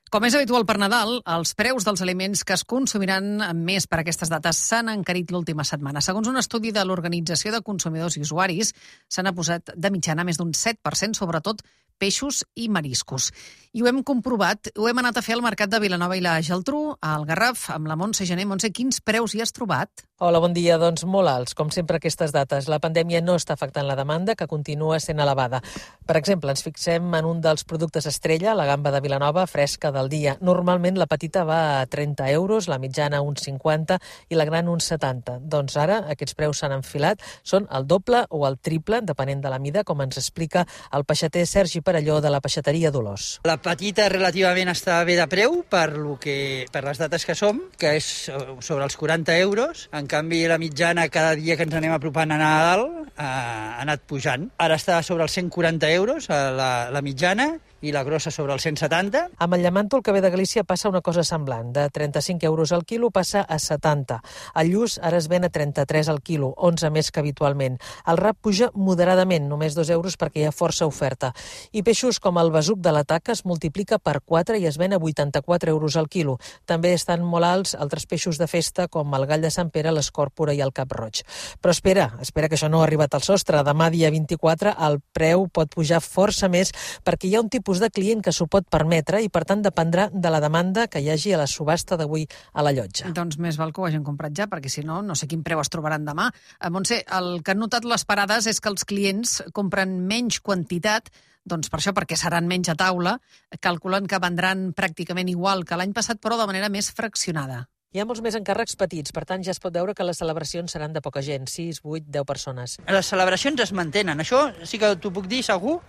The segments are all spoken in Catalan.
Com és habitual per Nadal, els preus dels aliments que es consumiran més per aquestes dates s'han encarit l'última setmana. Segons un estudi de l'Organització de Consumidors i Usuaris, s'han posat de mitjana més d'un 7%, sobretot peixos i mariscos. I ho hem comprovat, ho hem anat a fer al mercat de Vilanova i la Geltrú, al Garraf, amb la Montse Gené. Montse, quins preus hi has trobat? Hola, bon dia. Doncs molt alts, com sempre aquestes dates. La pandèmia no està afectant la demanda, que continua sent elevada. Per exemple, ens fixem en un dels productes estrella, la gamba de Vilanova, fresca del dia. Normalment la petita va a 30 euros, la mitjana uns 50 i la gran uns 70. Doncs ara aquests preus s'han enfilat, són el doble o el triple, depenent de la mida, com ens explica el peixater Sergi Perelló de la peixateria Dolors. La petita relativament està bé de preu per les dates que som, que és sobre els 40 euros. En canvi, la mitjana cada dia que ens anem apropant a Nadal ha anat pujant. Ara està sobre els 140 euros la mitjana i la grossa sobre els 170. Amb el llamanto, el que ve de Galícia, passa una cosa semblant. De 35 euros al quilo passa a 70. El lluç ara es ven a 33 al quilo, 11 més que habitualment. El rap puja moderadament, només 2 euros perquè hi ha força oferta. I peixos com el besuc de la taca es multiplica per 4 i es ven a 84 euros al quilo. També estan molt alts altres peixos de festa com el gall de Sant Pere, l'escòrpora i el cap-roig. Però espera que això no ha arribat al sostre. Demà, dia 24, el preu pot pujar força més perquè hi ha un tipus de client que s'ho pot permetre i, per tant, dependrà de la demanda que hi hagi a la subhasta d'avui a la llotja. Doncs més val que ho hagin comprat ja, perquè si no, no sé quin preu es trobaran demà. Montse, el que han notat les parades és que els clients compren menys quantitat, doncs per això, perquè seran menys a taula, calculen que vendran pràcticament igual que l'any passat, però de manera més fraccionada. Hi ha molts més encàrrecs petits, per tant ja es pot veure que les celebracions seran de poca gent, 6, 8, 10 persones. Les celebracions es mantenen, això sí que t'ho puc dir segur,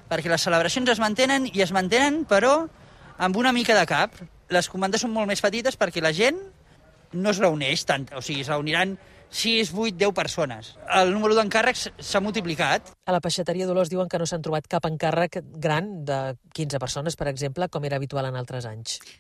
perquè les celebracions es mantenen però amb una mica de cap. Les comandes són molt més petites perquè la gent no es reuneix tant, o sigui, es reuniran 6, 8, 10 persones. El número d'encàrrecs s'ha multiplicat. A la peixateria Dolors diuen que no s'han trobat cap encàrrec gran de 15 persones, per exemple, com era habitual en altres anys.